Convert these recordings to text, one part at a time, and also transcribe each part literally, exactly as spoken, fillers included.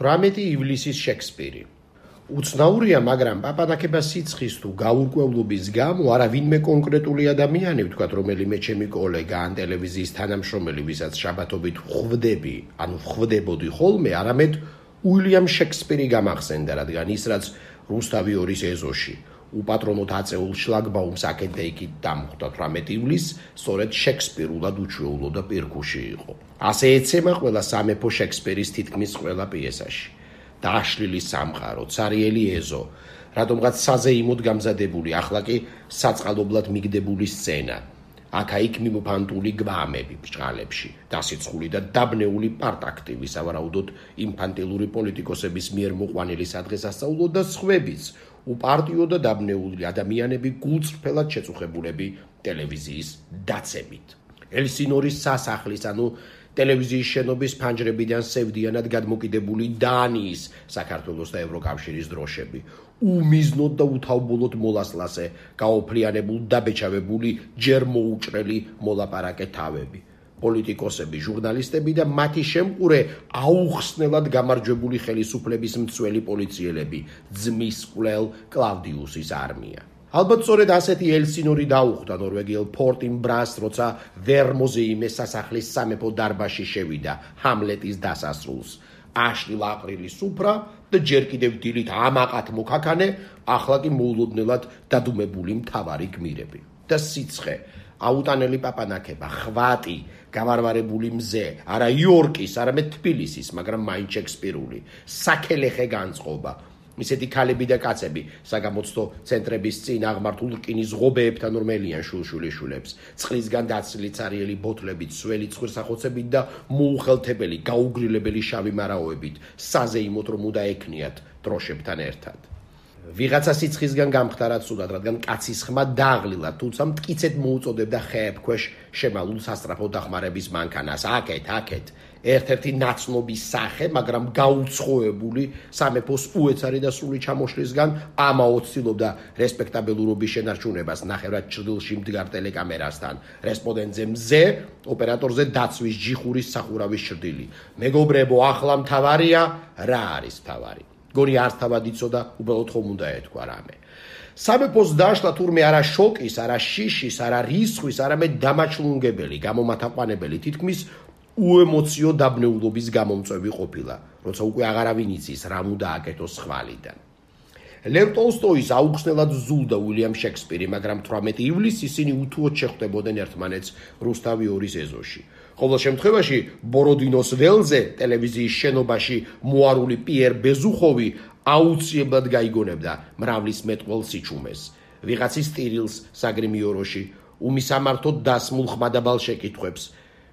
თვრამეტი ივლისის შექსპირი. უცნაურია, მაგრამ პაპანაკება სიცხის თუ გაურკვევლობის გამო არა ვინმე კონკრეტული ადამიანი, ვთქვათ, რომელიმე ჩემი კოლეგა ან ტელევიზიის თანამშრომელი, ვისაც შაბათობით ხვდები, ანუ ხვდებოდი ხოლმე, არამედ უილიამ შექსპირი გამახსენდა, რადგან ის, რაც რუსთავი ორის ეზოში უპატრონოდ აწეულ შლაგბაუმს აქეთ იქით დამხვდა თვრამეტი ივლისს, სწორედ შექსპირულად უჩვეულო და პირქუში იყო. ასე ეცემა ყველა სამეფო შექსპირის თითქმის ყველა პიესაში. დააშლილი სამყარო, цаრიელი ეზო, რატომღაც საზეიმოდ გამზადებული, ახლა კი საწყალობლად მიგდებული სცენა. აქა-იქ მიმოფანტული გვამები ბჭყალებში, დასიცხული და დაბნეული პარტაქტივი, სავარაუდოდ ინფანტილური პოლიტიკოსების მიერ მოყვანილი სადღესასწაულო და სხვებიც, უპარტიო და დაბნეული ადამიანები გულწრფელად შეწუხებულები ტელევიზიის დაცემით. ელსინორის სასახლის, ანუ ტელევიზიის შენობის ფანჯრებიდან სევდიანად გადმოკიდებული დანიის, საქართველოს და ევროკავშირის დროშები, უმიზნოდ და უთავბოლოდ მოლასლასე, გაოფლიანებულ დაბეჭავებული ჯერ მოუჭრელი მოლაპარაკე თავები, პოლიტიკოსები, ჟურნალისტები და მათი შემყურე აუხსნელად გამარჯვებული ხელისუფლების მცველი პოლიციელები, ძმის კვლელ კლავდიუსის არმია. ალბათ სწორედ ასეთი ელსინორი დაუხვდა ნორვეგიელ ფორტინბრას, როცა ვერ მოზეიმეს სასახლის სამეფო დარბაზში შევიდა ჰამლეტის დასასრულს. აშლილ აპრილის სუფრა და ჯერ კიდევ დილით ამაყად მოქაქანე, ახლა კი მოულოდნელად დადუმებული მთავარი გმირები. და სიცხე, აუტანელი პაპანაკება, ხვატი, გავარვარებული მზე, არა იორკის, არამედ თბილისის, მაგრამ მაინც შექსპირული, საქელეხე განწყობა. ისეთი ქალები და კაცები, საგამოცდო ცენტრების წინ აღმართულ რკინის ღობეებთან ორმელიან შულშულიშულებს, წყლისგან დაცლილი цаრიელი ბოთლებით, სველი ცხვირსახოცებით და მოუხელთებელი, გაუგრილებელი შავი მარაოებით, საზეიმოდ რომ უნდა ექნიათ დროშებთან ერთად. ვიღაცა სიცხისგან გამხდარა ცუდად, რადგან კაცის ხმა დაღლილა, თუმცა მტკიცედ მოუწოდებდა ხეებ ქვეშ შემალულ სასწრაფო დახმარების მანქანას, აქეთ, აქეთ. ერთ-ერთი ნაცნობის სახე, მაგრამ გაუცხოებული სამეფოს უეცარი და სრული ჩამოშლისგან ამაოდ ცდილობდა რესპექტაბელურობის შენარჩუნებას ნახევრად ჭრდილში მდგარ ტელეკამერასთან, რესპონდენტზე მზე, ოპერატორზე დაცვის ჯიხურის სახურავის ჭრდილი. მეგობრებო, ახლა მთავარია, რა არის მთავარი? გონი არც თავად იცოდა, უბრალოდ ხომ უნდა ეთქვა რამე. სამეფოს დაშლა თურმე არა შოკის, არა შიშის, არა რისხვის, არამედ დამაჩლუნგებელი, გამომათაყვანებელი, თითქმის უემოციო დაბნეულობის გამომწვევი ყოფილა, როცა უკვე აღარავინ იცის რა უნდა აკეთოს ხვალიდან. ლევ ტოლსტოის აუხსნელად ზულდა უილიამ შექსპირი, მაგრამ თვრამეტი ივლისს ისინი უთუოდ შეხვდებოდნენ ერთმანეთს რუსთავი ორის ეზოში. ყოველ შემთხვევაში ბოროდინოს ველზე ტელევიზიის შენობაში მოარული პიერ ბეზუხოვი აუცილებლად გაიგონებდა მრავლის მეტყველს სიჩუმეს, ვიღაცის ტირილს საგრიმიოროში, უმისამართოდ დასმულ ხმადაბალ შეკითხვებს,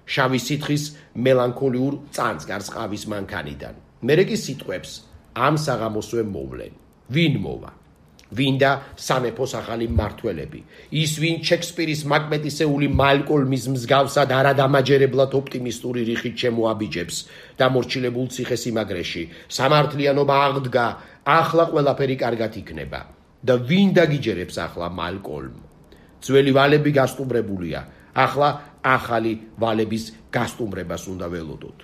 შავი სითხის მელანქოლიურ წანწკარს ყავის მანქანიდან. მერე კი სიტყვებს ამ საღამოსვე მოვლენ. ვინ მოვა? ვინ და სამეფოს ახალი მმართველები? ის ვინ შექსპირის მაკბეტისეული მალკოლმის მსგავსად არადამაჯერებლად ოპტიმისტური რიხით შემოაბიჯებს დამორჩილებულ ციხესიმაგრეში. სამართლიანობა აღდგა, ახლა ყველაფერი კარგად იქნება. და ვინ დაგიჯერებს ახლა მალკოლმ? ძველი ვალები გასტუმრებულია. ახლა ახალი ვალების გასტუმრებას უნდა ველოდოთ.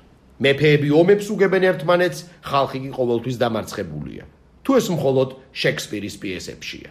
მეფეები ომებს უგებენ ერთმანეთს, ხალხი კი ყოველთვის დამარცხებულია. თუ ეს მხოლოდ შექსპირის პიესებშია.